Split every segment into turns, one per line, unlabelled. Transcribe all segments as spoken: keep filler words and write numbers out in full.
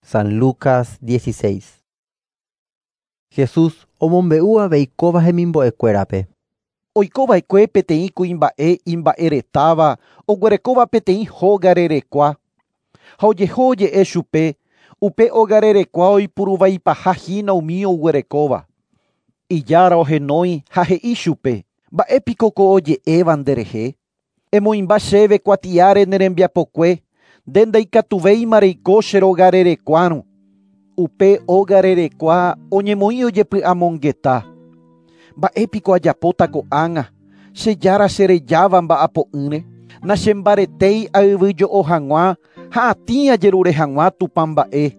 San Lucas dieciséis. Jesús omombe'u avei kóva hemimbo'ekuérape.
Oikova'ekue peteĩ kuimba'e imba'eretáva oguerekóva peteĩ hóga rerekua. Ha ojeho oje'e chupe, upe óga rerekua oipuruvaipaha hína umi oguerekóva. Ijára ohenói ha he'i chupe, mba'épiko ko oje'éva nderehe? Emoĩmba chéve kuatiáre ne rembiapokue, nde ndaikatuvéima reiko che róga rerekuárõ. Upe óga rerekua oñemoĩ ojepy'amongeta. Mba'épiko ajapóta ko'ág̃a, che jára cherejáva mba'apo'ỹre, nachembaretéi ayvyjo'o hag̃ua ha atĩ ajerure hag̃ua tupãmba'e.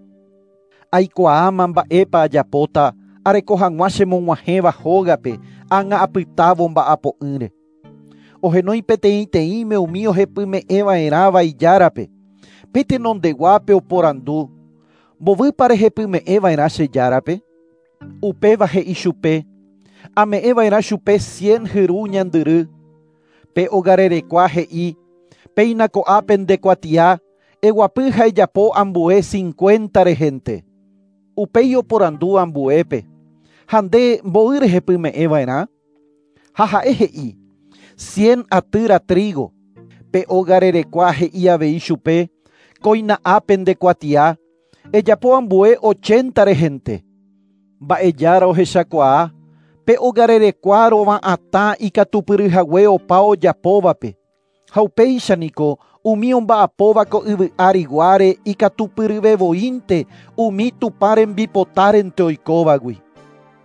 Aikuaáma mba'épa ajapóta areko hag̃ua chemog̃uahẽva hógape ág̃a apytávo mba'apo'ỹre. Ohenói peteĩteĩme umi ohepyme'ẽva'erãva ijárape. Pe tenondeguápe oporandu, mbovýpa rehepyme'ẽva'erã che járape? Upéva he'i chupe, ame'ẽva'erã chupe cien hyru ñandyry. Pe ogarerekua he'i, péina ko'ápe nde kuatia, eguapy ha ejapo ambue cincuenta rehente. Upéi oporandu ambuépe, ha nde mboy rehepyme'ẽva'erã? Ha ha'e he'i, cien atýra trigo. Pe ogarerekua he'i avei chupe, kóina ápe nde kuatia, ejapo ambue ochenta rehente. Mba'ejára ohechakuaa, pe ogarerekua rova'atã ikatupyryhague opa ojapóvape. Ha upéichaniko umi omba'apóva ko yvy ariguáre ikatupyryvevoínte umi Tupã rembipotárente oikóvagui.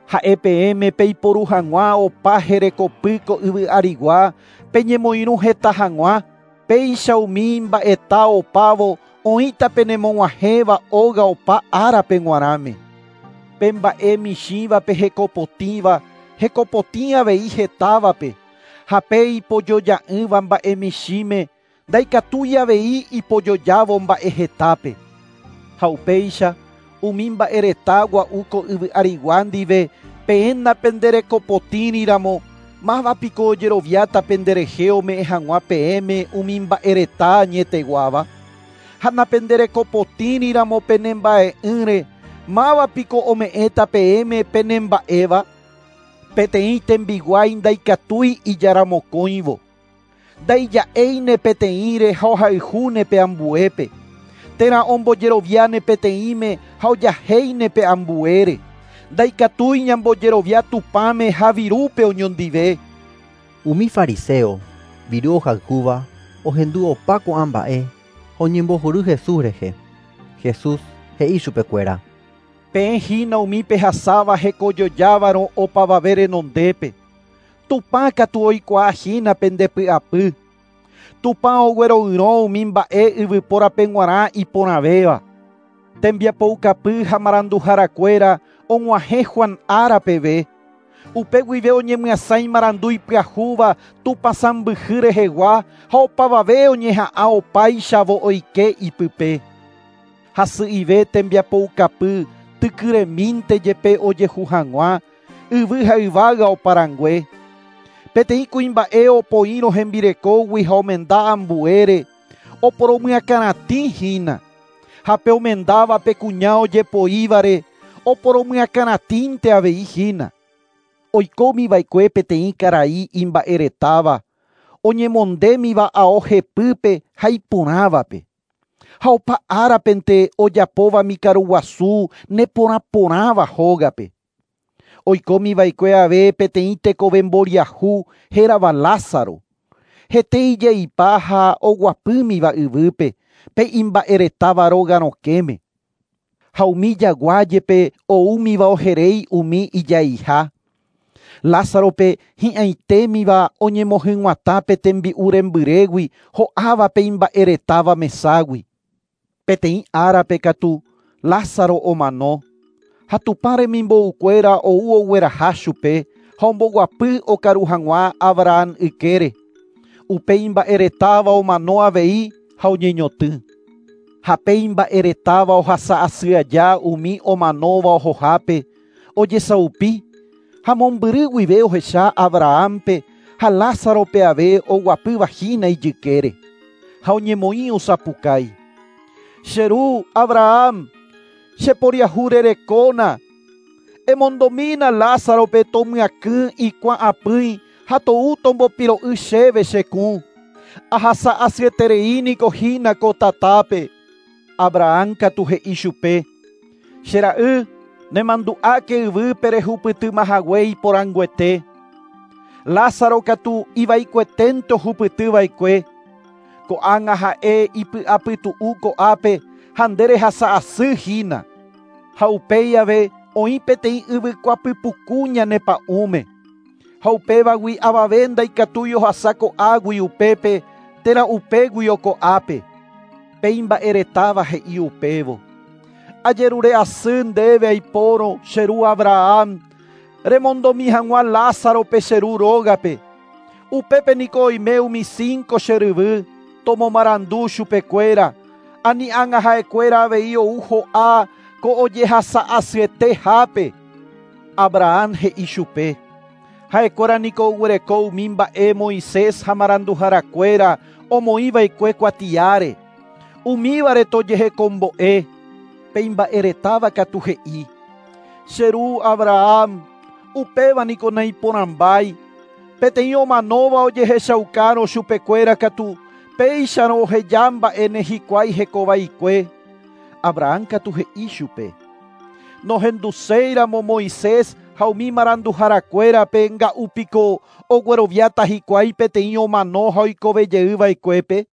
Ha'e peẽme peiporu hag̃ua opa herekopy ko yvy arigua peñemoirũ heta hag̃ua, péicha umi mba'eta opávo oĩta penemog̃uahẽva óga opa árape g̃uarãme. Pe mba'e michĩvape hekopotĩva, hekopotĩ avei hetávape, ha pe ipojoja'ỹva mba'e michĩme, ndaikatúi avei ipojojávo mba'e hetápe. Ha upéicha umi mba'ereta gua'u ko yvy arigua ndive peẽ napenderekopotĩriramo, mávapiko ojeroviáta penderehe ome'ẽ hag̃ua peẽme umi mba'ereta añeteguáva? Ha napenderekopotĩriramo penemba'e'ỹre, mávapiko ome'ẽta peẽme penemba'éva? Peteĩ tembiguái ndaikatúi ijaramokõivo. Ndaija'éine peteĩre ha ohayhúne pe ambuépe. Térã ombojeroviáne peteĩme ha ojahéine pe ambuére. Ndaikatúi ñambojerovia Tupãme ha virúpe oñondive.
Umi fariseo, viru ohayhúva, ohendu opa ko'ã mba'e ha oñembohory Jesús rehe. Jesús he'i chupekuéra.
Peẽ hína umi pehasáva hekojojávarõ opavave renondépe. Tupã katu oikuaahína pendepy'apy. Tupã ogueroyrõ umi mba'e yvypórape g̃uarã iporãvéva. Tembiapoukapy ha maranduharakuéra og̃uahẽ Juan ára peve. Upe guive oñemyasãi marandu ipyahúva Tupã sãmbyhy rehegua ha opavave oñeha'ã opáichavo oike ipype. Hasy'ive tembiapoukapy tykyremínte jepe ojehu hag̃ua, yvy ha yvága oparangue. Peteĩ kuimba'e opoírõ hembirekógui ha omenda ambuére, oporomyakãratĩhína. Ha pe omendáva pe kuña ojepoívare, oporomyakãratĩnte avei hína. Oikómiva'ekue peteĩ karai imba'eretáva, oñemondémiva ao hepýpe ha iporãvape. Ha opa árapente ojapóva mikaruguasu neporãporãva hógape. Oikómiva'ekue ave peteĩ tekove mboriahu hérava Lázaro. Hete ijeipa ha oguapýmiva yvýpe, pe imba'eretáva róga rokẽme. Ha umi jagua jepe oúmiva oheréi umi ijaiha. Lázarope hi'ãitémiva oñemohyg̃uatã pe tembi'u rembyrégui ho'áva pe imba'eretáva meságui. Peteĩ árape katu Lázaro omano. Ha Tupã remimboukuéra ou ogueraha chupe ha omboguapy okaru hag̃ua Abraham ykére. Upe imba'eretáva omano avei ha oñeñotỹ. Ha pe imba'eretáva ohasa asy aja umi omanóva ohohápe, ojesaupi, ha mombyry guive ohecha Abrahampe ha Lázarope ave oguapývahína ijykére. Ha oñemoĩ osapukái. Che ru, Abraham, Cheporiahurerekóna. Emondomína Lázarope tomyakỹ ikuã apỹi ha tou tombopiro'y chéve che kũ. Ahasa asyeterei niko hína ko tatápe. Abraham katu he'i chupe. Che ra'y, nemandu'áke yvýpe rehupytymahague iporãnguete. Lázaro katu ivaikueténte ohupytyva'ekue. Ko'ág̃a ha'e ipy'apytu'u ko'ápe ha nde rehasa asy hína. Ha upéi ave oĩ peteĩ yvykua pypuku ñane pa'ũme. Ha upévagui avave ndaikatúi ohasa ko'águi upépe térã upéguio ko'ápe. Pe imba'eretáva he'i upévo. Ajerure asy ndéve aipórõ che ru Abraham, remondomi hag̃ua Lázarope che ru rógape. Upépe niko oime umi cinco che ryvy, tomomarandu chupekuéra, ani ág̃a ha'ekuéra avei ou ho'a ko ojehasa asyetehápe. Abraham he'i chupe. Ha'ekuéra niko oguereko umi mba'e Moisés ha maranduharakuéra omoĩva'ekue kuatiáre. Umívare tojehekombo'e. Pe imba'eretáva katu he'i. Che ru Abraham, upéva niko naiporãmbái. Peteĩ omanóva ojehechaukárõ chupekuéra katu péicharõ oheja mba'éne hikuái hekovaikue. Abraham katu he'i chupe. Nohenduséiramo Moisés ha umi maranduharakuérape nga'úpiko ogueroviáta hikuái peteĩ omano ha oikovejeyva'ekuépe.